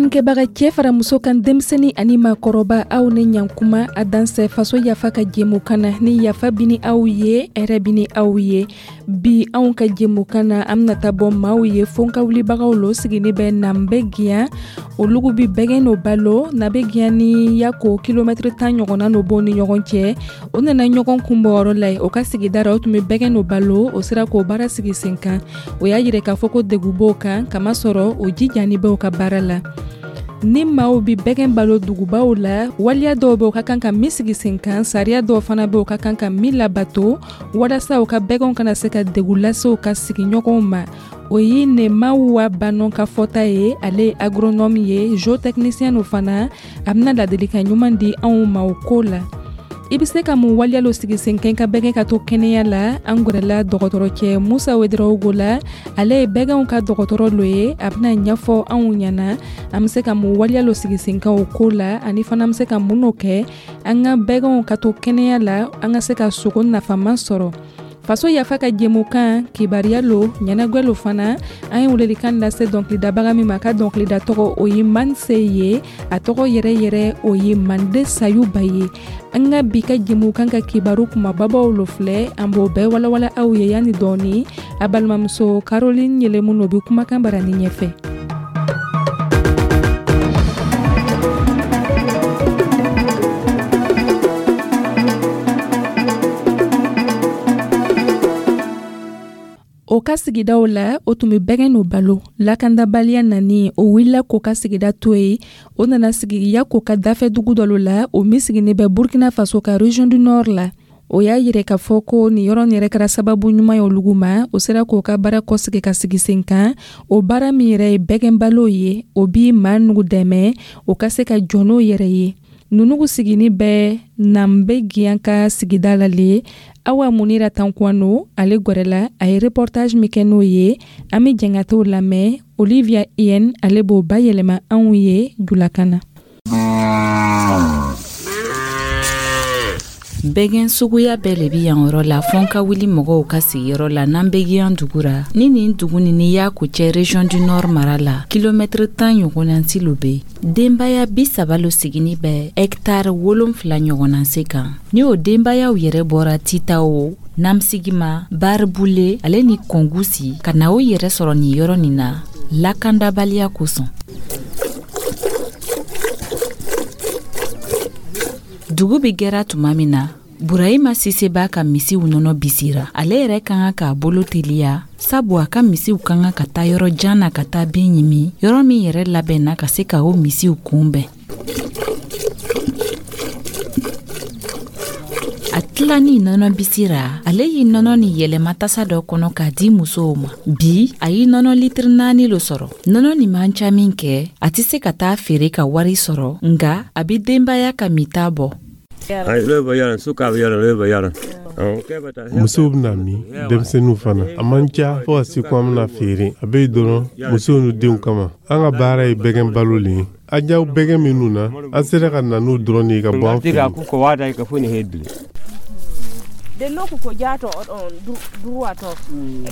Lamɛnnikɛbaga, cɛ fara muso kan, denmisɛnnin ani maakɔrɔba, aw ni ɲankuma. A dansɛ Faso Yafa ka jɛmukan na. Ni yafa bini aw ye, hɛrɛ bini aw ye. Bi, anw ka jɛmukan na, an bɛna taa bɔ maaw ye, fonkawulibagaw lo sigini bɛ Nabɛgiyan. Olugu bi bɛgɛn no balo. Nabɛgiyan ni Yako, kilomɛtiri 10 ɲɔgɔnna no b'o ni ɲɔgɔn cɛ. O nana ɲɔgɔn kunbɔyɔrɔ la ye o ka sigida ra. O tun bɛ bɛgɛn no balo, o sera k'o baara sigi sen kan. O y'a yira k'a fɔ ko degun b'o kan, kamasɔrɔ o jijani b'o ka baara la. Ni maaw bi bɛgɛn balo dugubaw la, waleya dɔw bɛ o ka kan ka min sigi sen kan, sariya dɔw fana bɛ o ka kan ka min labato, walasa u ka bɛgɛnw kana se ka degun lase u ka sigiɲɔgɔnw ma. O ye Nemawa Banɔ ka fɔta ye. Ale ye agronome ye, zootechnicien no fana. A bɛna ladilikan ɲuman di anw ma o ko la. I bɛ se ka mun waleya lo sigi sen kan ka bɛgɛn ka to kɛnɛya la? An gwɛrɛla dɔgɔtɔrɔcɛ Musa Wedarawogo la. Ale ye bɛgɛnw ka dɔgɔtɔrɔ lo ye. A bɛna ɲɛfɔ anw ɲɛna an bɛ se ka mun waleya lo sigi sen kan o ko la, ani fana an bɛ se ka mun no kɛ an ka bɛgɛnw ka to kɛnɛya la, an ka se ka sogo nafama sɔrɔ. Faso Yafa ka jɛmukan, kibaruya lo, ɲɛnagwɛ lo fana. An ye welelikan lase dɔnkilidabaga min ma, ka dɔnkilida tɔgɔ o ye Manse ye. A tɔgɔ yɛrɛ yɛrɛ o ye Mande Sayuba ye. An ka bi ka jɛmukan ka kibaru kumababaw lo filɛ. An b'o bɛɛ walawala aw ye yanni dɔɔni. A balimamuso Caroline Yelemu no bi kumakan barani ɲɛfɛ. O ka sigidaw la, o tun bɛ bɛgɛn no balo. Lakandabaliya nani, o wulila k'o ka sigida to yen. O nana sigi Yako ka dafɛ dugu dɔ la, o min siginin bɛ Burkina Faso ka région du Nord la. O y'a yira k'a fɔ ko nin yɔrɔ yɛrɛ kɛra sababu ɲuman ye olugu ma. O sera k'o ka baara kɔsigi ka sigi sen kan. O baara min yɛrɛ ye bɛgɛn balo ye, o bi maa nugu dɛmɛ o ka se ka jɔ n'o yɛrɛ ye. Nunugu sigini bɛ Nabɛgiyan ka sigida la le. Awa Munira Tankwano, ale gwɛrɛla. A ye reportage min kɛ n'o ye, an bɛ jɛn ka t'o lamɛn. Olivia Ien, ale b'o bayɛlɛma anw ye julakan na. Bɛgɛn suguya bɛɛ le bi yan yɔrɔ la, fɔn ka wuli mɔgɔw ka sigiyɔrɔ la Nabɛgiyan dugu ra. Ni nin dugu ni ni Yako cɛ, région du Nord mara la, kilomɛtiri 10 ɲɔgɔnna lo be. Denbaya 30 lo sigini bɛ hɛktare 7 ɲɔgɔnna se kan. Ni o denbayaw yɛrɛ bɔra Titawo, Namsigima, Baribule ale ni Kɔngusi ka na o yɛrɛ sɔrɔ nin yɔrɔ nin na lakandabaliya kosɔn. Dugu bɛ gɛra tuma min na, Burahima Sise b'a ka misiw nɔnɔ bisira. Ale yɛrɛ ka kan k'a bolo teliya, sabu a ka misiw ka kan ka taa yɔrɔ jan na ka taa bin ɲimi, yɔrɔ min yɛrɛ labɛnna ka se ka o misiw kunbɛn. A tilani nɔnɔ bisira, ale y'i nɔnɔ ni yɛlɛma tasa dɔ kɔnɔ k'a di musow ma. Bi, a y'i nɔnɔ litiri 4 lo sɔrɔ. Nɔnɔ nin man ca min kɛ, a tɛ se ka taa feere ka wari sɔrɔ, nga a bi denbaya ka minta bɔ. Musow bɛna min, denmisɛnninw fana. A man ca fo ka se ko an bɛna feere. A bɛ yen dɔrɔn musow n'u denw kama. An ka baara ye bɛgɛn balo le ye. An jaw bɛgɛn minnu na, an sera ka na n'u dɔrɔn de ye ka bɔ an fɛ yen.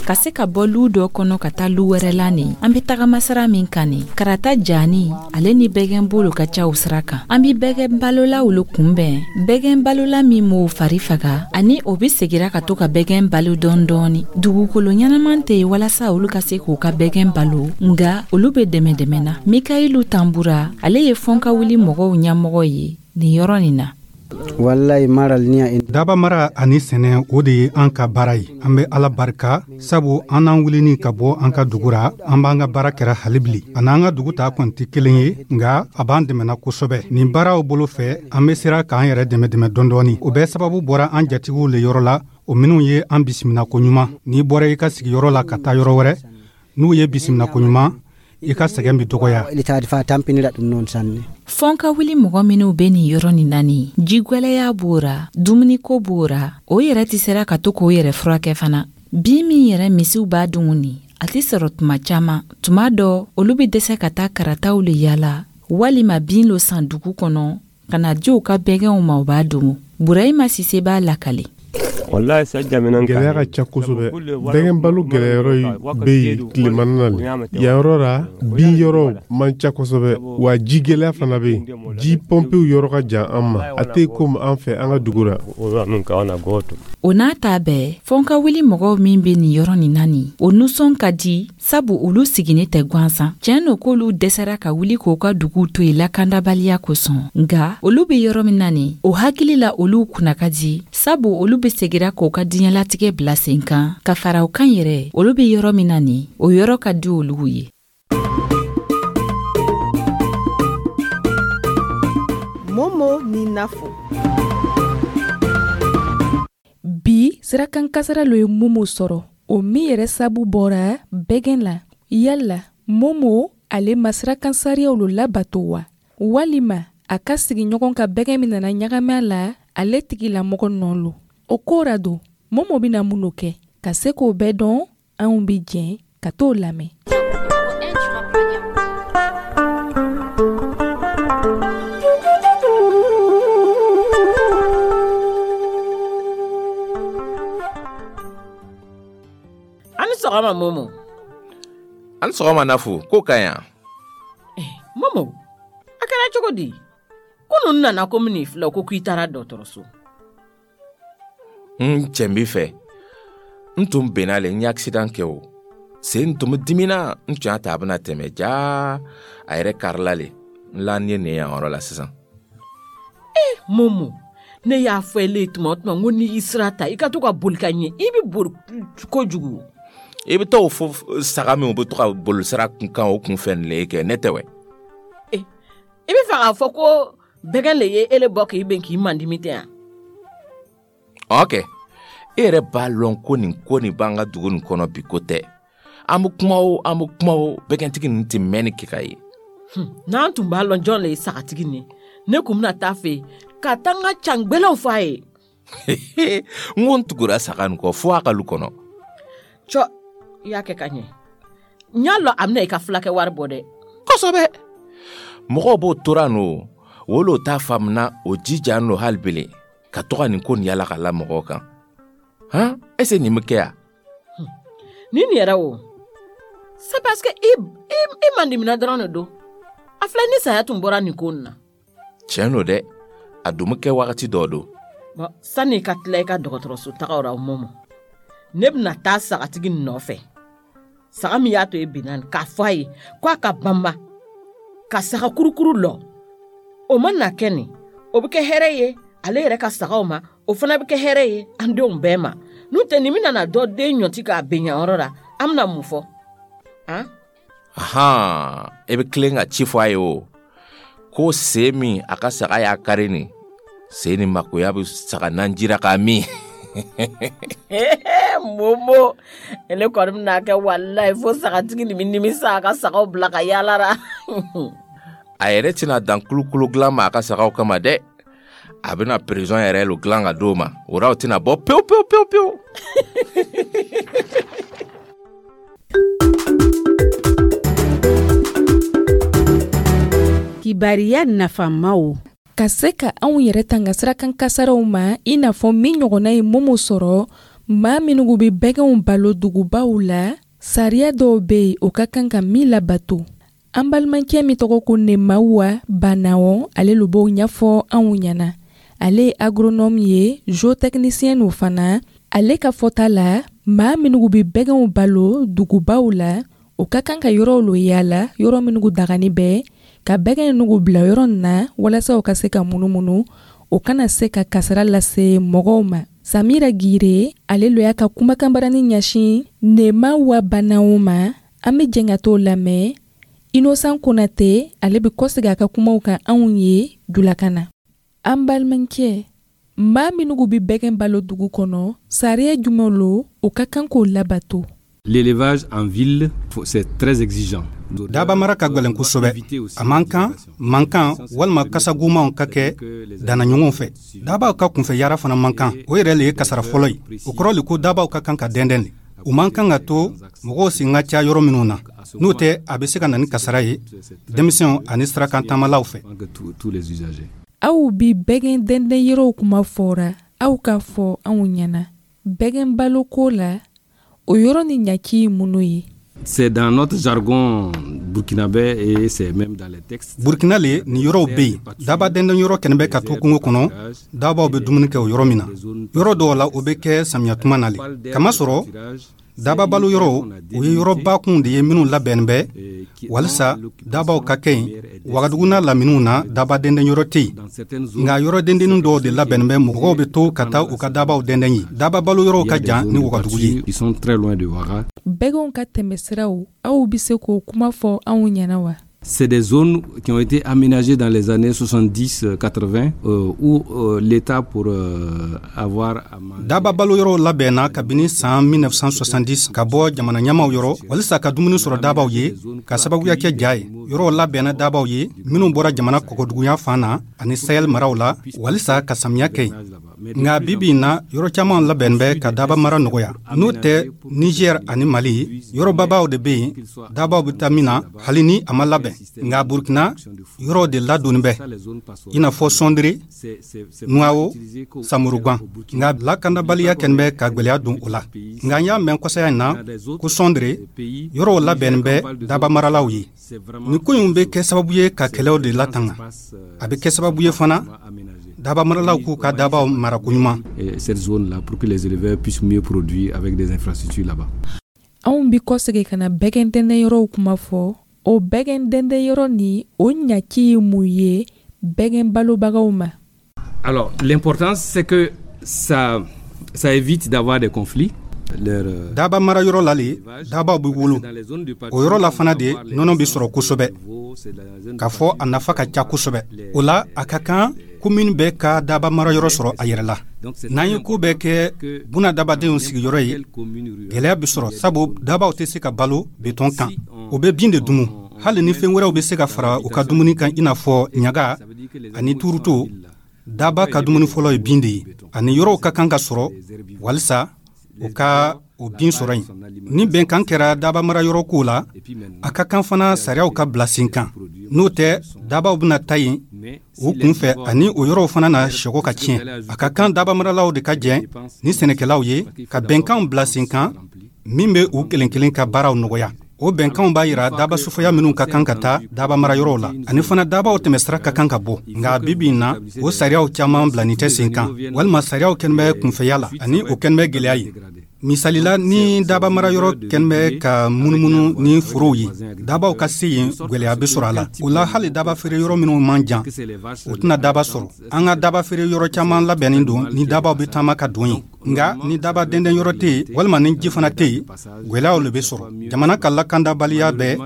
Ka se ka bɔ lu dɔ kɔnɔ ka taa lu wɛrɛ la nin, an bɛ tagama sira min kan nin, karata jani ale ni bɛgɛn bolo ka ca o sira kan. An bɛ bɛgɛn balolaw lo kunbɛn, bɛgɛn balola min m'o fari faga ani o bɛ segira ka to ka bɛgɛn balo dɔɔni dɔɔni. Dugukolo ɲɛnaman tɛ yen walasa olu ka se k'u ka bɛgɛn balo, nga olu bɛ dɛmɛ dɛmɛ na. Mikayilu Tanbura, ale ye fɔnkawuli mɔgɔw ɲɛmɔgɔ ye nin yɔrɔ nin na. Walayi maral ni Daba mara ani sɛnɛ, o de ye an ka baara ye. An bɛ Ala barika, sabu an n'an wulini ka bɔ an ka dugu ra, an b'an ka baara kɛra hali a n'an ka dugu ta kɔni tɛ kelen ye, nka a b'an dɛmɛna kosɛbɛ nin baaraw bolo fɛ. An bɛ sera k'an yɛrɛ dɛmɛ dɛmɛ dɔɔni. O bɛɛ sababu bɔra an jatigiw le yɔrɔ la, o minnu ye an bisimila koɲuman. N'i bɔra i ka sigiyɔrɔ la ka taa yɔrɔ wɛrɛ, n'u ye bisimila koɲuman, i ka sɛgɛn bɛ dɔgɔya. Fɔn ka wuli mɔgɔ minw bɛ nin yɔrɔ nin na nin, jigwɛlɛya b'o ra, dumuniko b'o ra, o yɛrɛ tɛ sera ka to k'o yɛrɛ furakɛ fana. Bin min yɛrɛ misiw b'a dun nin, a tɛ sɔrɔ tuma caman. Tuma dɔ, olu bɛ dɛsɛ ka taa karataw le yala walima bin lo san dugu kɔnɔ ka na di u ka bɛgɛnw ma, u b'a domo. Burahima Sise b'a lakale. Gɛlɛya ka ca kosɛbɛ. Bɛgɛn balo gɛlɛyɔrɔ bɛ yen tilemana na le. Yan yɔrɔ la, bin yɔrɔw man ca kosɛbɛ, wa ji gɛlɛya fana bɛ yen. Ji pɔnpew yɔrɔ ka jan an ma, a tɛ komi an fɛ an ka dugu la. O n'a ta bɛɛ, fɔnkawuli mɔgɔw min bɛ nin yɔrɔ nin na nin, o nusɔn ka di, sabu olu siginin tɛ gansan. Tiɲɛ no k'olu dɛsɛra ka wuli k'o ka duguw to yen lakandabaliya kosɔn, nka olu bɛ yɔrɔ min na nin, o hakili la olu kunna ka di, sabu olu bɛ segira k'o ka diɲɛlatigɛ bila sen kan. Ka fara o kan yɛrɛ, olu bɛ yɔrɔ min na nin, o yɔrɔ ka di olu ye. Momo ni Nafo. Bi sirakan kasara lo ye Momo sɔrɔ, o min yɛrɛ sabu bɔra bɛgɛn la. Yala Momo ale ma sirakan sariyaw lo labato wa, walima a ka sigiɲɔgɔn ka bɛgɛn min nana ɲagami a la, ale tigilamɔgɔ nɔ lo? O ko ra don, Momo bɛna mun lo kɛ ka se k'o bɛɛ dɔn? Anw bɛ jɛn ka t'o lamɛn. Ani sɔgɔma Momo. Ani sɔgɔma Nafu, ko ka ɲi? Momo, a kɛra cogo di? Kunun nana ko min filɛ ko k'i taara dɔgɔtɔrɔso. N cɛ b'i fɛ. N tun benna le, n ye accident kɛ o. Sen tun bɛ dimina, n tun y'a ta a bɛna tɛmɛ jaa a yɛrɛ karila le. N lanin ye nin yan yɔrɔ la sisan. Momo, ne y'a fɔ ele ye tuma o tuma n ko n'i y'i sira ta i ka to ka boli ka ɲɛ, i bɛ boli kojugu. I bɛ t'o fɔ saga min bɛ to ka boli sira kun kan o kun fɛ nin le ye kɛ, ne tɛ wɛ. I bɛ fɛ k'a fɔ ko bɛgɛn le ye ele bɔ k'i ben k'i mandimi tɛ yan? Ok, e yɛrɛ b'a lɔn ko nin ko nin b'an ka dugu nin kɔnɔ bi ko tɛ. An bɛ kuma o, an bɛ kuma o, bɛgɛntigi ninnu tɛ mɛnni kɛ ka ye. N'an tun b'a lɔn jɔn le ye sagatigi nin, ne kun bɛna taa fɛ yen ka taa n ka cangbɛlɛw fɔ a ye. N ko n tugura saga nin kɔ fo a ka lu kɔnɔ. Cɔ, i y'a kɛ ka ɲɛ. N y'a lɔn a bɛna i ka fulakɛ wari bɔ dɛ. Kosɛbɛ. Mɔgɔw b'o tora nɔ, wolo t'a faamuna o jija nɔ hali bele ka to ka nin ko nin yala ka la mɔgɔw kan. Han, est-ce nin bɛ kɛ yan? Ni nin yɛrɛ o, c'est parce que i mandimina dɔrɔn de don. A filɛ ni saya tun bɔra nin ko nin na. Tiɲɛ don dɛ, a dun bɛ kɛ wagati dɔ don. Bon, sanni i ka tila i ka dɔgɔtɔrɔso tagaw la Momo, ne bɛna taa sagatigi nɔfɛ. Saga min y'a to e binna nin, k'a fɔ a ye ko a ka banba ka saga kurukuru lɔ. O ma na kɛ nin, o bɛ kɛ hɛrɛ ye ale yɛrɛ ka sagaw ma, o fana bɛ kɛ hɛrɛ ye an denw bɛɛ ma. N'o tɛ nin bɛna na dɔ den ɲɔti k'a ben yan yɔrɔ la, an bɛna mun fɔ? Han? Ahan, e bɛ tilen ka ci fɔ a ye o. Ko sen min a ka saga y'a kari nin, sen ni makoya bɛ saga nanjira k'a min. Momo, ele kɔni bɛna kɛ walayi fo sagatigi nin bɛ nimisa a ka sagaw bila ka yaala la. A yɛrɛ tɛna dan kulukulu dilan ma a ka sagaw kama dɛ. A bɛna prison yɛrɛ lo dilan ka d'o ma. O la o tɛna bɔ pewu pewu pewu pewu. Kibariya nafamaw. Ka se ka anw yɛrɛ tanga sirakan kasaraw ma, i n'a fɔ min ɲɔgɔnna ye Momo sɔrɔ, maa minnu bɛ bɛgɛnw balo dugubaw la, sariya dɔw bɛ yen o ka kan ka min labato. An balimakɛ min tɔgɔ ko Nemawa Banawɔ, ale lo b'o ɲɛfɔ anw ɲɛna. Ale ye agronome ye, zootechnicien no fana. Ale ka fɔta la, maa minnu bɛ bɛgɛnw balo dugubaw la, o ka kan ka yɔrɔw lo yaala, yɔrɔ minnu dagani bɛ, ka bɛgɛn nugu bila yɔrɔ nin na walasa u ka se ka munumunu, o kana se ka kasara lase mɔgɔw ma. Samira Gire, ale lo y'a ka kumakanbarani ɲɛsin Nemawa Banawɔ ma. An bɛ jɛn ka t'o lamɛn. Innocent Konate, ale bɛ kɔsegin a ka kumaw kan anw ye julakan na. An balimakɛ, maa minnu bɛ bɛgɛn balo dugu kɔnɔ, sariya jumɛn lo o ka kan k'o labato? L'élevage en ville, c'est très exigeant. Daba mara ka gwɛlɛn kosɛbɛ. A man kan mankan walima kasagomanw ka kɛ dannaɲɔgɔnw fɛ. Dabaw ka kunfɛ yara fana man kan, o yɛrɛ le ye kasara fɔlɔ ye. O kɔrɔ le ko dabaw ka kan ka dɛndɛn le. U man kan ka to mɔgɔw sen ka ca yɔrɔ minnu na, n'o tɛ a bɛ se ka na ni kasara ye denmisɛnw ani sirakan taamalaw fɛ. Aw bi bɛgɛn dɛndɛn yɔrɔw kuma fɔra, aw k'a fɔ anw ɲɛna. Bɛgɛn baloko la, o yɔrɔ ni ɲaci ye minnu ye? C'est dans notre jargon burkinabé et c'est même dans les textes. Burkina le, nin yɔrɔw bɛ yen. Daba dɛndɛn yɔrɔ kɛnɛ bɛ ka to kungo kɔnɔ, dabaw bɛ dumuni kɛ o yɔrɔ min na. Yɔrɔ dɔw la, o bɛ kɛ samiya tuma na le, kamasɔrɔ daba balo yɔrɔw, o ye yɔrɔ bakunw de ye minnu labɛnnen bɛ walisa dabaw ka kɛ yen. Wagadugu n'a laminiw na, daba dɛndɛn yɔrɔ tɛ yen, nka yɔrɔ dendennin dɔw de labɛnnen bɛ, mɔgɔw bɛ to ka taa u ka dabaw dɛndɛn ye. Daba balo yɔrɔw ka jan ni Wagadugu ye. Ils sont très loin de Ouaga. Bɛgɛnw ka tɛmɛsiraw, aw bɛ se k'o kuma fɔ anw ɲɛna wa? C'est des zones qui ont été aménagées dans les années 70-80 où l'État pour avoir à manger. Daba balo yɔrɔw labɛnna kabini saan 1970 ka bɔ jamana ɲɛmaw yɔrɔ walisa ka dumuni sɔrɔ dabaw ye, ka sababuya kɛ ja ye. Yɔrɔw labɛnna dabaw ye minw bɔra jamana kɔgɔduguya fan na ani Sahel maraw la walisa ka samiya kɛ yen. Nka bibi in na, yɔrɔ caman labɛn bɛ ka daba mara nɔgɔya. N'o tɛ, Niger ani Mali, yɔrɔbabaw de bɛ yen dabaw bɛ taa min na hali ni a ma labɛn. Nka Burkina, yɔrɔw de ladonni bɛ, i n'a fɔ Sɔndere, Nuwawo, Samurugan. Nka lakanabaliya kɛlen bɛ ka gwɛlɛya don o la. Nka n y'a mɛn kɔsaya in na ko Sɔndere, yɔrɔw labɛnnen bɛ daba maralaw ye. Nin ko in bɛ kɛ sababu ye ka kɛlɛw de latanga. A bɛ kɛ sababu ye fana daba maralaw k'u ka dabaw mara koɲuman. Cette zone-là pour que les éleveurs puissent mieux produire avec des infrastructures là-bas. Anw bi kɔsegin ka na bɛgɛn dɛndɛn yɔrɔw kuma fɔ. O bɛgɛn dɛndɛn yɔrɔ ni o ɲaci ye mun ye bɛgɛn balobagaw ma? Alors, l'importance, c'est que ça évite d'avoir des conflits. Leur, Daba mara yɔrɔ la le dabaw bɛ wolo. O yɔrɔ la fana de nɔnɔ bɛ sɔrɔ kosɛbɛ, k'a fɔ a nafa ka ca kosɛbɛ. O la, a ka kan komini bɛɛ ka daba mara yɔrɔ sɔrɔ a yɛrɛ la. N'an ye ko bɛɛ kɛ buna dabadenw sigiyɔrɔ ye, gwɛlɛya bɛ sɔrɔ, sabu dabaw tɛ se ka balo betɔn kan, o bɛ bin de dumu. Hali ni fɛn wɛrɛw bɛ se ka fara u ka dumuni kan, i n'a fɔ ɲaga ani turuto, daba ka dumuni fɔlɔ ye bin de ye. Ani yɔrɔw ka kan ka sɔrɔ walisa u ka o bin sɔrɔ yen. Ni bɛnkan kɛra daba mara yɔrɔ ko la, a ka kan fana sariyaw ka bila sen kan. N'o tɛ, dabaw bɛna ta yen u kunfɛ, ani o yɔrɔw fana na sɛgɔ ka tiɲɛ. A ka kan daba maralaw de ka jɛ ni sɛnɛkɛlaw ye ka bɛnkanw bila sen kan min bɛ u kelen kelen ka baaraw nɔgɔya. O bɛnkanw b'a yira daba sufaya minw ka kan ka taa daba mara yɔrɔw la, ani fana dabaw tɛmɛsira ka kan ka bɔ. Nka bibi in na, o sariyaw caman bilani tɛ sen kan, walima sariyaw kɛlen bɛ kunfɛya la, ani o kɛlen bɛ gwɛlɛya ye. Misalila, ni daba mara yɔrɔ kɛlen bɛ ka munumunu ni forow ye, dabaw ka se yen gwɛlɛya bɛ sɔrɔ a la. O la, hali daba feere yɔrɔ minw man jan, o tɛna daba sɔrɔ. An ka daba feere yɔrɔ caman labɛnnen don ni dabaw bɛ taama ka don yen. Nka ni daba dɛndɛn yɔrɔ tɛ yen, walima ni ji fana tɛ yen, gwɛlɛyaw le bɛ sɔrɔ. Jamana ka lakandabaliya bɛɛ,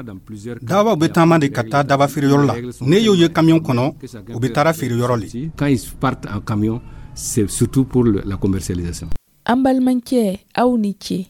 dabaw bɛ taama de ka taa daba feere yɔrɔ la. Ne y'o ye kamiyɔn kɔnɔ, u bɛ taara feere yɔrɔ le. Quand ils partent en camion, c'est surtout pour la commercialisation. An balimakɛ, aw ni ce.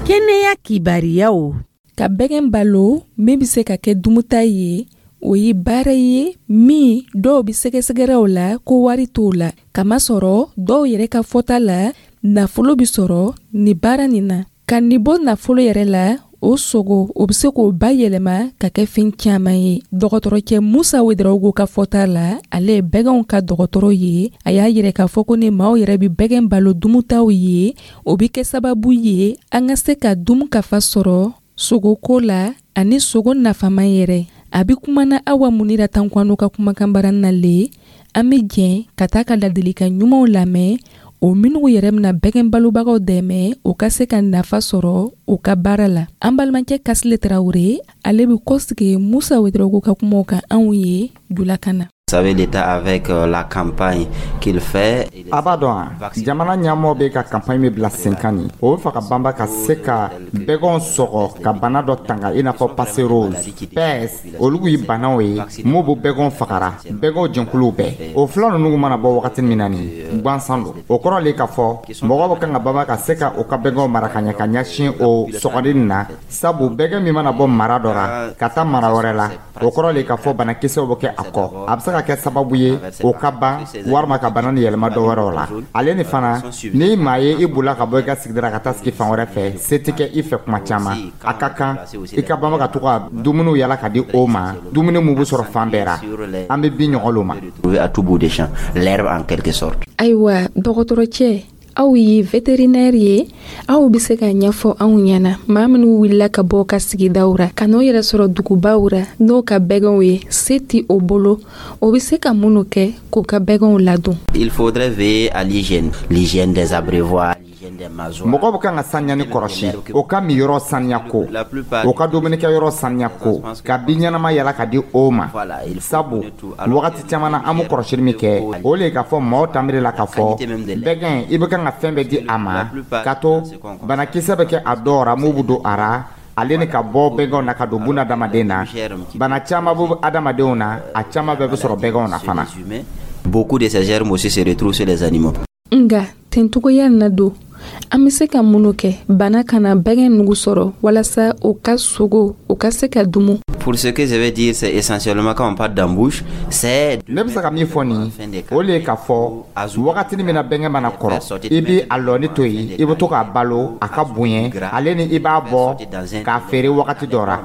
Kɛnɛya kibariyaw. Ka bɛgɛn balo min bɛ se ka kɛ dumuta ye, o ye baara ye min dɔw bɛ sɛgɛsɛgɛrɛw la ko wari t'o la, kamasɔrɔ dɔw yɛrɛ ka fɔta la, nafolo bɛ sɔrɔ nin baara nin na. Ka nin bɔ nafolo yɛrɛ la, o sogo, o bɛ se k'o bayɛlɛma ka kɛ fɛn caman ye. Dɔgɔtɔrɔcɛ Musa Wedarawogo ka fɔta la, ale ye bɛgɛnw ka dɔgɔtɔrɔ ye. A y'a yɛrɛ k'a fɔ ko ni maaw yɛrɛ bɛ bɛgɛn balo dumutaw ye, o bɛ kɛ sababu ye an ka se ka dumu kafa sɔrɔ sogoko la ani sogo nafama yɛrɛ. A bɛ kumana Awa Munira Tankwano ka kumakan bara na le. An bɛ jɛn ka taa ka ladilikan ɲumanw lamɛn, o minnu yɛrɛ bɛna bɛgɛn balobagaw dɛmɛ o ka se ka nafa sɔrɔ u ka baara la. An balimakɛ Kasile Tarawele, ale bɛ kɔsigi Musa Wedarawogo ka kumaw kan anw ye julakan na. Vous savez, l'État avec la campagne qu'il fait. A b'a dɔn wa, jamana ɲɛmɔgɔ bɛ ka campagne min bila sen kan nin, o bɛ fɛ ka banba ka se ka bɛgɛnw sɔgɔ ka bana dɔ tanga, i n'a fɔ passerose, peste, olu ye banaw ye mun b'o bɛgɛnw fagara, bɛgɛnw jɛnkuluw bɛɛ. O fila ninnu mana bɔ wagati min na nin, gansan don. O kɔrɔ le k'a fɔ mɔgɔw bɛ kan ka banba ka se ka u ka bɛgɛnw mara ka ɲɛ ka ɲɛsin o sɔgɔli nin na, sabu bɛgɛn min mana bɔ mara dɔ la ka taa mara wɛrɛ la, o kɔrɔ le k'a fɔ banakisɛw bɛ kɛ a kɔ. A bɛ se ka ka kɛ sababu ye o ka ban walima ka bana ni yɛlɛma dɔ wɛrɛw la. Ale ni fana, ni maa ye i bolila ka bɔ i ka sigida ka taa sigi fan wɛrɛ fɛ, se tɛ kɛ i fɛ kuma caman. A ka kan i ka banba ka to ka dumuniw yala ka di o ma, dumuni mun bɛ sɔrɔ fan bɛɛ ra. An bɛ bin ɲɔgɔn lo ma. À tout bout de champ, l'herbe en quelque sorte. Ayiwa, dɔgɔtɔrɔcɛ, aw ye vétérinaire ye, aw bɛ se ka ɲɛfɔ anw ɲɛna, maa minnu wulila ka bɔ ka sigidaw ra ka n'o yɛrɛ sɔrɔ dugubaw ra n'o ka bɛgɛnw ye, se ti o bolo, o bɛ se ka minnu kɛ k'o ka bɛgɛnw ladon? Il faudrait veiller à l'hygiène, l'hygiène des abreuvoirs. Mɔgɔ bɛ kan ka saniyani kɔrɔsi, o ka miyɔrɔ saniya ko, o ka dumunikɛyɔrɔ saniya ko, ka bin ɲɛnama yala ka di o ma. Sabu wagati caman na, an bɛ kɔrɔsili min kɛ, o le ye k'a fɔ maaw tanbiri la k'a fɔ bɛgɛn, i bɛ kan ka fɛn bɛɛ di a ma, ka to banakisɛ bɛ kɛ a dɔw ra mun bɛ don a ra, ale ni ka bɔ bɛgɛnw na ka don bunadamaden na. Bana caman bɛ adamadenw na, a caman bɛɛ bɛ sɔrɔ bɛgɛnw na fana. Beaucoup de ces germes aussi se retrouvent sur les animaux. Nga tencogoya na don, an bɛ se ka minnu kɛ bana kana bɛgɛn nugu sɔrɔ walasa o ka sogo o ka se ka dumu? Pour ce que je vais dire, c'est essentiellement quand on parle d'embouche, c'est Ne bɛ se ka min fɔ nin, o le ye k'a fɔ wagatini min na bɛnkɛ mana kɔrɔ, i bi a lɔni to yen, i bɛ to k'a balo a ka bonya, ale ni i b'a bɔ k'a feere wagati dɔ ra.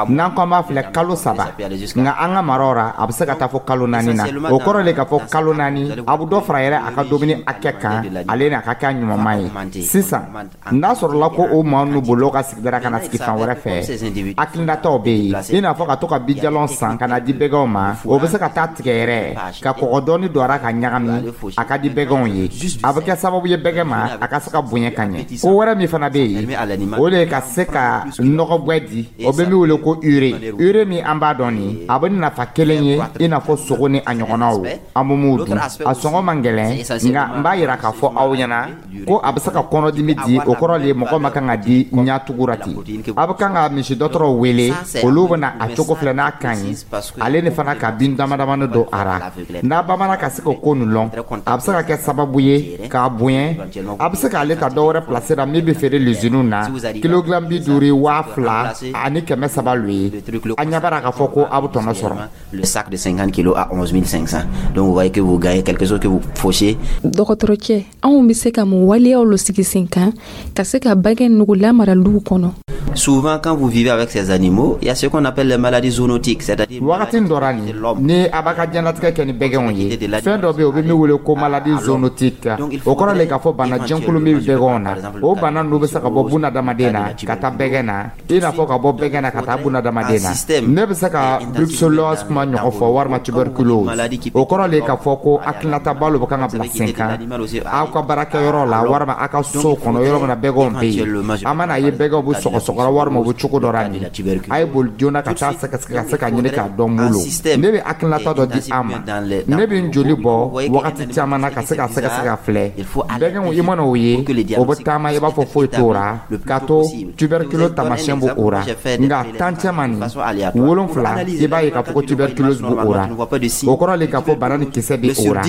N'an ko an b'a filɛ kalo 3, nka an ka maraw ra, a bɛ se ka taa fɔ kalo 4 na. O kɔrɔ le k'a fɔ kalo 4, a bɛ dɔ fara yɛrɛ a ka dumuni hakɛ kan, ale ni a ka kɛ a ɲumanma ye. Sisan n'a sɔrɔla ko o maa ninnu bolila ka sigida ka na sigi fan wɛrɛ fɛ, hakilinataw bɛ yen, i n'a fɔ ka to ka bijalɔn san ka na di bɛgɛnw ma. O bɛ se ka taa tigɛ yɛrɛ ka kɔgɔ dɔɔni don a ra ka ɲagami, a ka di bɛgɛnw ye. A bɛ kɛ sababu ye bɛgɛn ma a ka se ka bonya ka ɲɛ. Ko wɛrɛ min fana bɛ yen, o de ye ka se ka nɔgɔ di, o bɛ min wele ko urée. Urée min an b'a dɔn nin, a bɛ nafa kelen ye i n'a fɔ sogo ni a ɲɔgɔnnaw, an bɛ mun dun, a sɔngɔ man gɛlɛn. Nka n b'a yira k'a fɔ aw ɲɛna ko a bɛ se ka kɔnɔdimi di. O kɔrɔ de ye mɔgɔ ma kan ka di ɲatugura ten. A bɛ kan ka misi dɔgɔtɔrɔw wele, olu bɛna a cogo filɛ n'a ka ɲi, ale ni fana ka bin dama damani don a ra. N'a bamana ka se k'o ko nin lɔn, a bɛ se ka kɛ sababu ye k'a bonya. A bɛ se k'ale ta dɔ wɛrɛ place la min bɛ feere luziniw na, kilogramme 50, 2300 lo ye. A ɲɛ b'a k'a fɔ ko a bɛ tɔnɔ sɔrɔ. Le sac de 50 kilos à 11 500. Donc vous voyez que vous gagnez quelque chose que vous fauchez. Dɔgɔtɔrɔcɛ, anw bɛ se ka mun waleyaw lo sigi sen kan ka se ka bɛgɛn nugu lamara luw kɔnɔ? Souvent, quand vous vivez avec ces animaux, il y a ce qu'on appelle les maladies zoonotiques, c'est-à-dire Wagati dɔ ra nin, ni a b'a ka diɲɛlatigɛ kɛ ni bɛgɛnw ye, fɛn dɔ bɛ yen, o bɛ min wele ko maladie zoonotique. O kɔrɔ le k'a fɔ bana jɛnkulu min bɛ bɛgɛnw na, o bana ninnu bɛ se ka bɔ bunadamaden na ka taa bɛgɛn na, i n'a fɔ ka bɔ bɛgɛn na ka taa bunadamaden na. Ne bɛ se ka brucellose kuma ɲɔgɔn fɔ walima tuberculose. O kɔrɔ le k'a fɔ ko hakilinataba lo bɛ kan ka bila sen kan aw ka baarakɛyɔrɔ la walima aw ka so kɔnɔ, yɔrɔ min na bɛgɛnw bɛ yen. An mana ye bɛgɛnw bɛ sɔgɔsɔgɔra walima u bɛ cogo dɔ la nin, a ye boli joona ka taa sɛgɛsɛgɛ ka se ka ɲini k'a dɔn mun lo. Ne bɛ hakilinata dɔ di an ma. Ne bɛ n joli bɔ wagati caman na ka se ka sɛgɛsɛgɛ ka filɛ bɛgɛnw. I mana o ye, o bɛ taama i b'a fɔ foyi t'o ra, k'a to tuberculose taamasiyɛn b'o o ra. Nka tan cɛman nin wolonfila, i b'a ye k'a fɔ ko tuberculose b'o o ra. O kɔrɔ le k'a fɔ bana ni kisɛ bɛ o ra,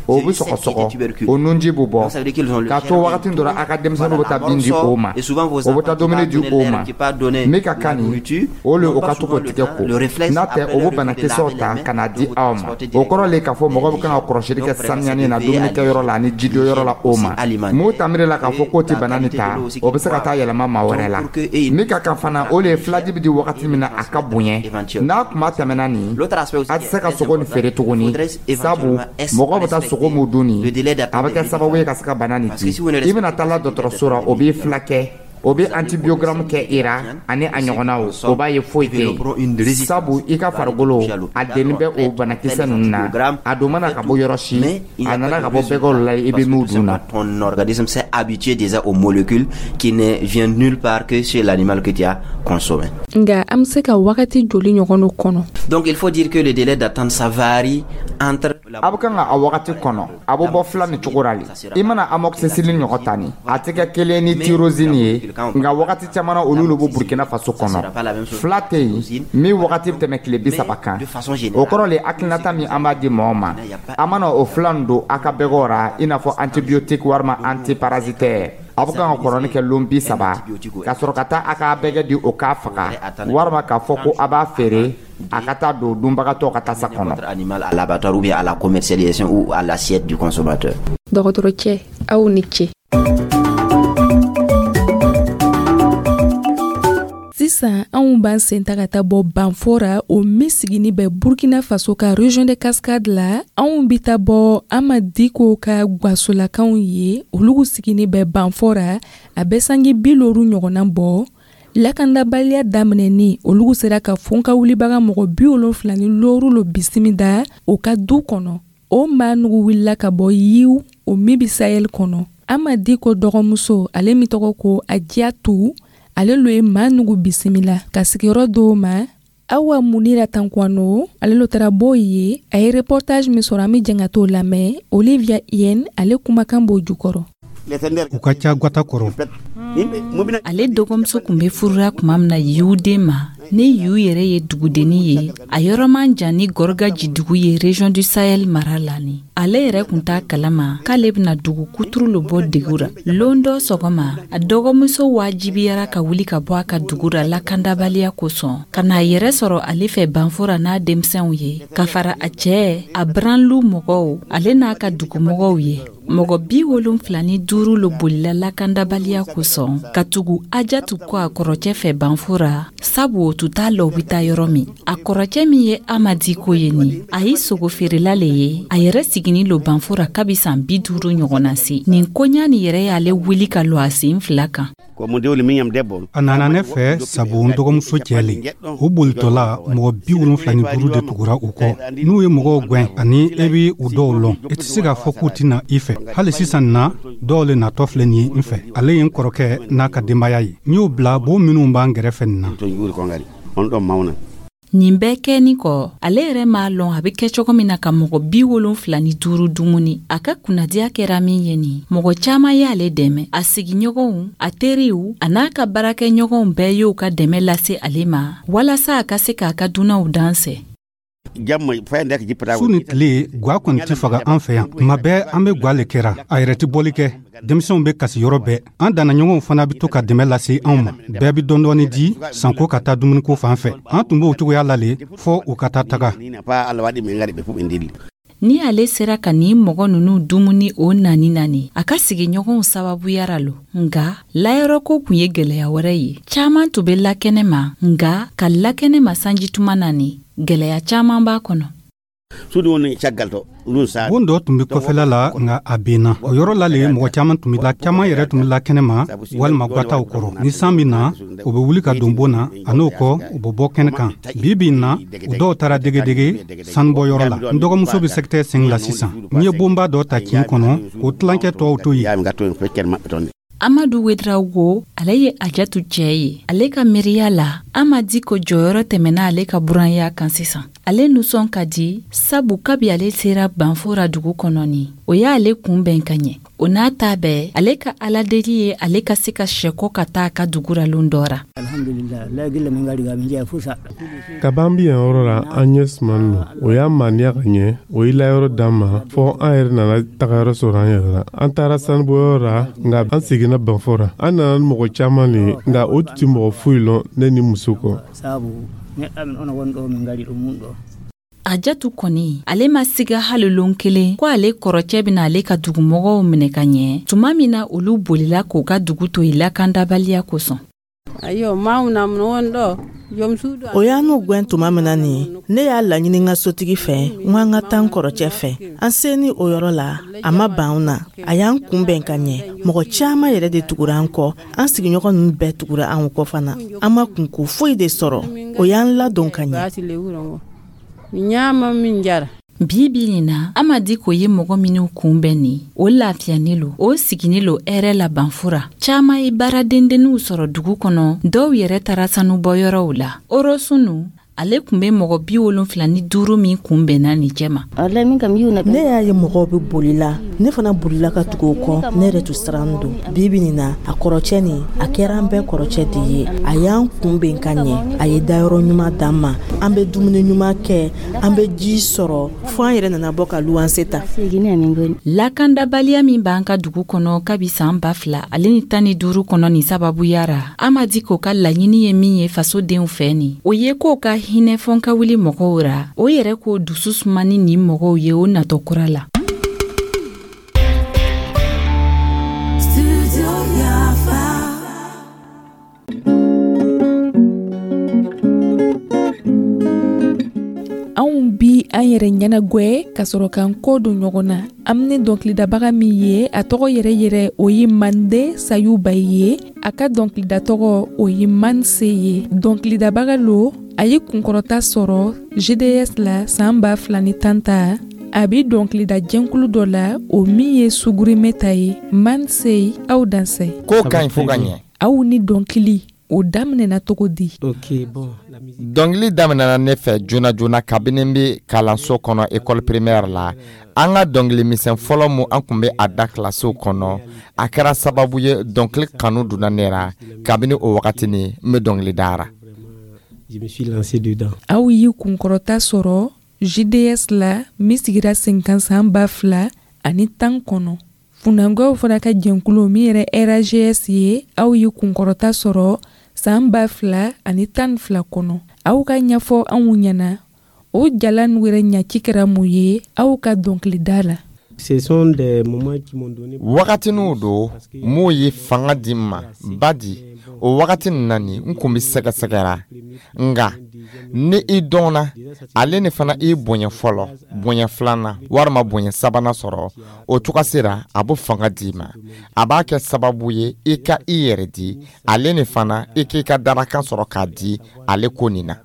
o bɛ sɔgɔsɔgɔ, o nunji bɛ bɔ, k'a to wagati dɔ la a ka denmisɛnninw bɛ taa bin di o ma, o bɛ taa dumuni di o ma. Min ka kan nin, o le o ka to k'o tigɛ ko n'a tɛ, o bɛ banakisɛw ta ka na di aw ma. O kɔrɔ le k'a fɔ mɔgɔ bɛ kan ka kɔlɔsili kɛ saniyani na dumunikɛyɔrɔ la ani jidonyɔrɔ la. O ma mun tamiri la k'a fɔ k'o tɛ bana nin ta, o bɛ se ka taa yɛlɛma maa wɛrɛ la. Min ka kan fana, o le ye filaji bɛ di wagati min na a ka bonya. N'a kuma tɛmɛna nin, a tɛ se ka sogo nin feere tuguni, sabu mɔgɔ bɛ taa sogo mun dun nin, a bɛ kɛ sababu ye ka se ka bana nin di. I bɛna taa la dɔgɔtɔrɔso la, o b'i fila kɛ, o bɛ antibiogramme kɛ i ra ani a ɲɔgɔnnaw, o b'a ye foyi tɛ yen, sabu i ka farikolo a denni bɛ o banakisɛ ninnu na. A don mana ka bɔ yɔrɔ si, a nana ka bɔ bɛgɛw la i bɛ min dun na. Ton organisme s'est habitué déjà aux molécules qui ne viennent nulle part que chez l'animal que tu as consommé. Nga an bɛ se ka wagati joli ɲɔgɔn do kɔnɔ? Donc il faut dire que le délai d'attente, ça varie entre A bɛ kan ka a wagati kɔnɔ, a bɛ bɔ fila ni cogo la le. I mana amoxicilline ɲɔgɔn ta nin, a tɛ kɛ kelen ni tyrosine ye, nka wagati caman na olu bɛ Burkina Faso kɔnɔ. Fila tɛ yen min wagati bɛ tɛmɛ tile 30 kan. O kɔrɔ le hakilinata min an b'a di mɔgɔw ma, a mana o fila nin don a ka bɛgɛw ra, i n'a fɔ antibiotique walima antiparasitaire. Aw bɛ kan ka kɔnɔni kɛ lon 30 ka sɔrɔ ka taa a k'a bɛgɛ di o k'a faga, walima k'a fɔ ko a b'a feere a ka taa don dunbagatɔ ka tasa kɔnɔ. Animal à l'abattoir ou bien à la commercialisation ou à l'assiette du consommateur. Dɔgɔtɔrɔcɛ, aw ni ce. Sisan anw b'an sen ta ka taa bɔ Banfora, o min sigini bɛ Burkina Faso ka région de Cascade la. Anw bi taa bɔ Ama Diko ka gwasolakaw ye, olugu sigini bɛ Banfora, a bɛ sangi 50 ɲɔgɔnna bɔ. Lakandabaliya daminɛni, olugu sera ka fon ka wulibaga mɔgɔ 75 lo bisimila o ka du kɔnɔ. O maa nugu wulila ka bɔ Yiw, o min bi Sahel kɔnɔ. Ama Diko dɔgɔmuso, ale min tɔgɔ ko Adiyatu, ale lo ye maa nugu bisimila ka sigiyɔrɔ dɔw ma. Awa Munira Tankwano, ale lo taara bɔ ye, a ye reportage min sɔrɔ, an be jɛn ka t'o lamɛn. Olivia Yen, ale kumakan b'o jukɔrɔ. U ka ca gwata kɔrɔ. Ale dɔgɔmuso kun be furura tuma min na Yiwuden ma, ni Yiw yɛrɛ ye dugudenni ye, a yɔrɔ man jan ni Gɔrɔgaji dugu ye région du Sahel mara la ni. Ale yɛrɛ kun t'a kalama k'ale bɛna dugu kuturu lo bɔ degu ra. Lon dɔ sɔgɔma, a dɔgɔmuso wajibiyara ka wuli ka bɔ a ka dugu ra lakandabaliya kosɔn, ka n'a yɛrɛ sɔrɔ ale fɛ Banfora n'a denmisɛnw ye, ka fara a cɛɛ, a branlu mɔgɔw, ale n'a ka dugumɔgɔw ye. Mɔgɔ 75 lo bolila lakandabaliya kosɔn ka tugu Ajatu kɔ a kɔrɔcɛ fɛ Banfora, sabu o tun t'a lɔn u bɛ taa yɔrɔ min. A kɔrɔcɛ min ye Amadi ko ye nin, a ye sogofeerela le ye, a yɛrɛ sigini lo Banfora kabi san 50 ɲɔgɔnna se. Nin koɲa nin yɛrɛ y'ale wuli ka lɔ a sen fila kan. A nana ne fɛ sabu n dɔgɔmuso cɛ le. O bolitɔla mɔgɔ 75 de tugura u kɔ. N'u ye mɔgɔw gwɛn ani e bɛ u dɔw lɔn, i tɛ se k'a fɔ k'u tɛna i fɛ. Hali sisan na, dɔw le natɔ filɛ nin ye n fɛ. Ale ye n kɔrɔkɛ n'a ka denbaya ye. N y'o bila bon minnu b'an gɛrɛfɛ nin na. Nin bɛɛ kɛni kɔ, ale yɛrɛ m'a lɔn a bɛ kɛ cogo min na ka mɔgɔ 75 dumuni. A ka kunnadiya kɛra min ye nin, mɔgɔ caman y'ale dɛmɛ. A sigiɲɔgɔnw, a teriw, a n'a ka baarakɛɲɔgɔnw bɛɛ y'o ka dɛmɛ lase ale ma walasa a ka se k'a ka dunanw dansɛ. Su ni tile, gwa kɔni tɛ faga an fɛ yan. Tuma bɛɛ an bɛ gwa le kɛra, a yɛrɛ tɛ bɔli kɛ. Denmisɛnw bɛ kasi yɔrɔ bɛɛ. An dannaɲɔgɔnw fana bɛ to ka dɛmɛ lase anw ma. Bɛɛ bɛ dɔɔni di sanko ka taa dumuniko fan fɛ. An tun b'o cogoya la le fɔ u ka taa taga. Ni ale sera ka nin mɔgɔ ninnu dumuni o nani nani, a ka sigiɲɔgɔnw sababuyara lo. Nka layɔrɔko kun ye gwɛlɛya wɛrɛ ye. Caaman tun bɛ lakɛnɛ ma, nka ka lakɛnɛ ma sanjituma nani, gwɛlɛya caaman b'a kɔnɔ. Bon dɔ tun bɛ kɔfɛla la, nka a benna. O yɔrɔ la le mɔgɔ caman tun bɛ la, caman yɛrɛ tun bɛ la kɛnɛ ma walima gwataw kɔrɔ. Ni san bɛ na, u bɛ wuli ka don bon na, a n'o kɔ u bɛ bɔ kɛnɛ kan. Bi bi in na, u dɔw taara degedege sanubɔyɔrɔ la. N dɔgɔmuso bɛ secteur 5 la sisan. N ye bonba dɔ ta kin kɔnɔ k'o tilancɛ tɔw to yen. Amadu Wedrawogo, ale ye Ajatu cɛ ye. Ale ka miiriya la, Amadi ko jɔyɔrɔ tɛmɛna ale ka buranya kan sisan. Ale nusɔn ka di sabu kabi ale sera Banfora dugu kɔnɔ ni, o y'ale kunbɛn ka ɲɛ. O n'a ta bɛɛ, ale ka aladeli ye ale ka se ka sɛkɔ ka taa a ka dugu ra lon dɔ ra. Kaban bi yan yɔrɔ la, an ɲɛ sumanin don. O y'a maniya ka ɲɛ, o ye layɔrɔ d'an ma fɔ an yɛrɛ nana tagayɔrɔ sɔrɔ an yɛrɛ la. An taara sanubɔyɔrɔ la, nka an seginna Banfora. An nana ni mɔgɔ caman le ye, nka o tun tɛ mɔgɔ foyi lɔn ne ni muso kɔ. Ajatu kɔni, ale ma siga hali lon kelen ko ale kɔrɔcɛ bɛna ale ka dugumɔgɔw minɛ ka ɲɛ tuma min na olu bolila k'u ka dugu to yen lakandabaliya kosɔn. O y'an n'u gwɛn tuma min na nin, ne y'a laɲini n ka sotigi fɛ n ko an ka taa n kɔrɔcɛ fɛ. An seni o yɔrɔ la, a ma ban anw na, a y'an kunbɛn ka ɲɛ. Mɔgɔ caman yɛrɛ de tugura an kɔ, an sigiɲɔgɔn ninnu bɛɛ tugura anw kɔ fana. An ma kunko foyi de sɔrɔ, o y'an ladon ka ɲɛ. Bi bi nin na, Amadi ko ye mɔgɔ minnu kunbɛn nin, o lafiyani lo, o sigini lo hɛrɛ la Banfora. Caman ye baaradendenninw sɔrɔ dugu kɔnɔ, dɔw yɛrɛ taara sanubɔyɔrɔw la. Orosunu, Ale tun bɛ mɔgɔ 75 min kunbɛnna nin cɛma. Ne y'a ye mɔgɔw bɛ boli la, ne fana bolila ka tugu o kɔ. Ne yɛrɛ tun sirannin don. Bi bi nin na, a kɔrɔcɛ nin, a kɛra an bɛɛ kɔrɔcɛ de ye. A y'an kunbɛn ka ɲɛ, a ye dayɔrɔ ɲuman d'an ma, an bɛ dumuni ɲuman kɛ, an bɛ ji sɔrɔ, fo an yɛrɛ nana bɔ ka luwanse ta. Lakandabaliya min b'an ka dugu kɔnɔ kabi san 2015 kɔnɔ nin sababuya ra, Ama Diko ka laɲini ye min ye fasodenw fɛ nin, o ye k'o ka hinɛ fɔnkawuli mɔgɔw ra, o yɛrɛ k'o dusu suma ni nin mɔgɔw ye o natɔ kura la. Anw bi an yɛrɛ ɲɛnagwɛ ka sɔrɔ k'an kɔ don ɲɔgɔn na. An ni dɔnkilidabaga min ye, a tɔgɔ yɛrɛ yɛrɛ o ye Mande Sayuba ye. A ka dɔnkilida tɔgɔ o ye Manse ye. Dɔnkilidabaga lo, a ye kunkɔrɔta sɔrɔ GDS la san 2010 ta. A bɛ dɔnkilida jɛnkulu dɔ la, o min ye Sugurime ta ye. Manse, aw dansɛ. Ko ka ɲi fo ka ɲɛ. Aw ni dɔnkili o daminɛna cogo di? Dɔnkili daminɛna ne fɛ joona joona kabini n bɛ kalanso kɔnɔ, école primaire la. An ka dɔnkili misɛn fɔlɔ mun an tun bɛ a da kilasiw kɔnɔ, a kɛra sababu ye dɔnkili kanu donna ne ra. Kabini o wagati ni n bɛ dɔnkili dara. Aw y'i kunkɔrɔta sɔrɔ JDS la min sigira sen kan san 2010 kɔnɔ. Funangɔw fana ka jɛnkulu min yɛrɛ RAGS ye, aw ye kunkɔrɔta sɔrɔ san 2012 kɔnɔ. Aw ka ɲɛfɔ anw ɲɛna, o jala nu yɛrɛ ɲaci kɛra mun ye aw ka dɔnkilida la? Wagatiniw don m'o ye fanga di n ma badi. O wagati nin na nin, n kun bɛ sɛgɛsɛgɛra, nka ni i dɔnna, ale ni fana i bonya fɔlɔ, bonya filanan walima bonya sabanan sɔrɔ, o cogo sera a bɛ fanga di ma. A b'a kɛ sababu ye i ka i yɛrɛ di, ale ni fana i k'i ka darakan sɔrɔ k'a di ale ko nin na.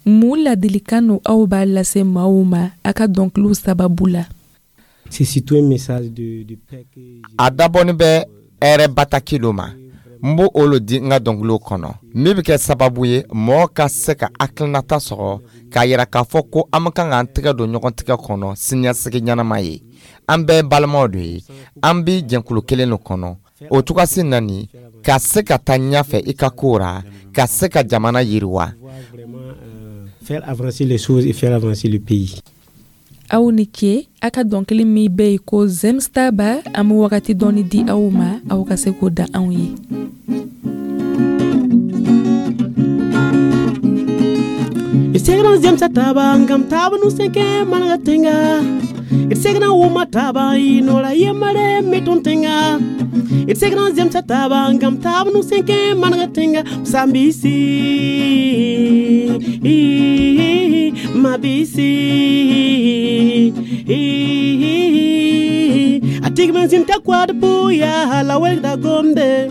Mun ladilikan no aw b'a lase maaw ma a ka dɔnkiliw sababu la? A dabɔnin bɛ hɛrɛ bataki lo ma. N b'o olu di n ka dɔnkiliw kɔnɔ, min bɛ kɛ sababu ye mɔgɔ ka se ka hakilinata sɔrɔ k'a yira k'a fɔ ko an kan k'an tɛgɛ don ɲɔgɔn tigɛ kɔnɔ siniɲɛsigi ɲɛnama ye. An bɛɛ balimaw de ye, an bɛ jɛnkulu kelen de kɔnɔ. O cogoyasi na nin, ka se ka taa ɲɛfɛ i ka ko ra, ka se ka jamana yiriwa. Faire avancer les choses et faire avancer le pays. Aw ni ce. A ka dɔnkili min bɛ yen ko Zemstaba, an bɛ wagati dɔɔni di aw ma, aw ka se k'o da anw ye. Segna zemsa taba ngam taba nu senke managa tenga. Segna wuma taba inola yemare meton tenga. Segna zemsa taba ngam taba nu senke managa tenga. Sambisi mabisi atigmen zinta kwad puya la welda gombe.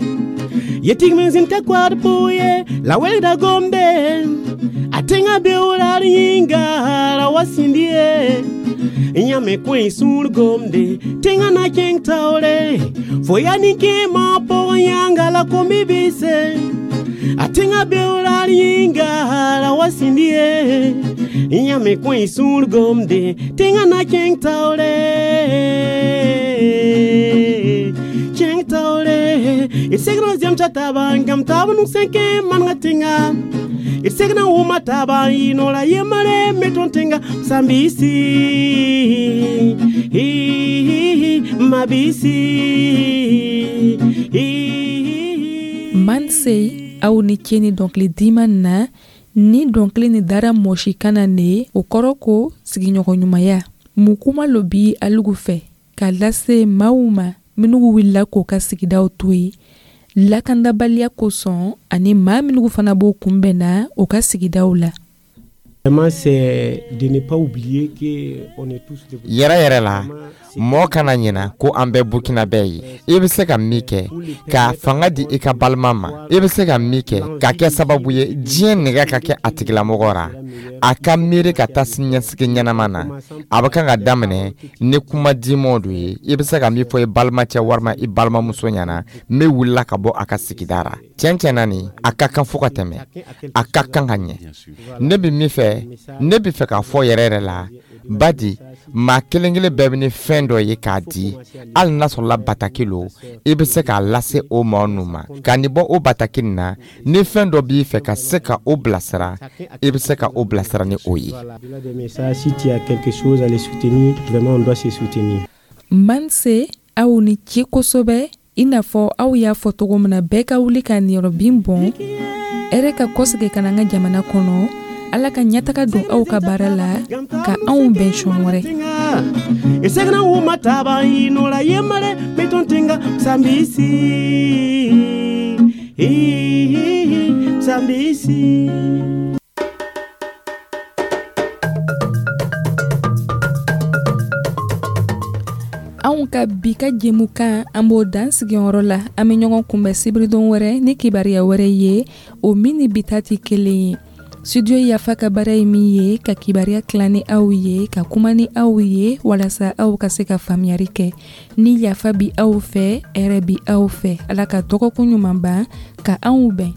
Yetigmen zinta kwad puye la welda gombe. Atenga beola yinga la wasindie. Nyame kwen sul gomde tenga na keng taore. Foya ni ke ma po yanga la kombibise. Atenga beola yinga la wasindie. Nyame kwen sul gomde tenga na keng taore. Keng taore. Isegro zem chataba ngam tabu nu senke man ngatinga. Isegna wuma taba inola yemare metontenga sambisi mabisi. Manse, aw ni ce ni dɔnkili diman na. Ni dɔnkili ni dara mɔsi kana ne, o kɔrɔ ko sigiɲɔgɔnɲumanya. Mun kuma lo bi alugu fɛ k'a lase maaw ma minnu wulila k'o ka sigidaw to yen lakandabaliya kosɔn, ani maa minnu fana b'o kunbɛnna o ka sigidaw la? Yɛrɛ yɛrɛ la, mɔɔ kana ɲina ko an bɛɛ Burkinabɛ ye. I bɛ se ka min kɛ ka fanga di i ka balima ma, i bɛ se ka min kɛ ka kɛ sababu ye diɲɛ nɛgɛ ka kɛ a tigilamɔgɔ ra, a ka miiri ka taa siniɲɛsigi ɲɛnama na, a bɛ kan ka daminɛ ni kuma dimanw do ye. I bɛ se ka min fɔ i balimacɛ walima i balimamuso ɲɛna min wulila ka bɔ a ka sigida ra. Tiɲɛ tiɲɛ na, nin a ka kan fo ka tɛmɛ, a ka kan ka ɲɛ. Ne bɛ min fɛ, ne bɛ fɛ k'a fɔ yɛrɛ yɛrɛ la, badi maa kelen kelen bɛɛ bɛ ni fɛn dɔ ye k'a di, hali n'a sɔrɔla bataki lo, i bɛ se k'a lase o maa ninnu ma ka nin bɔ o bataki nin na. Ni fɛn dɔ b'i fɛ ka se ka o bilasira, i bɛ se ka o bilasira ni o ye. Manse, aw ni ce kosɛbɛ. I n'a fɔ aw y'a fɔ cogo min na, bɛɛ ka wuli ka niyɔrɔbin bɔn, hɛrɛ ka kɔsegin ka na an ka jamana kɔnɔ. Ala ka ɲɛtaga don aw ka baara la, ka anw bɛn sɔn wɛrɛ. Esegna uma taba inola yemare metontinga sambisi sambisi. Anw ka bi ka jɛmukan, an b'o dan sigiyɔrɔ la. An bɛ ɲɔgɔn kunbɛn sibiridon wɛrɛ ni kibaruya wɛrɛ ye, o min ni bi ta tɛ kelen ye. Studio Yafa ka baara ye min ye, ka kibaruya tila ni aw ye, ka kuma ni aw ye, walasa aw ka se ka faamuyari kɛ. Ni yafa bi aw fɛ, hɛrɛ bi aw fɛ. Ala ka dɔgɔkun ɲuman ban ka anw bɛn.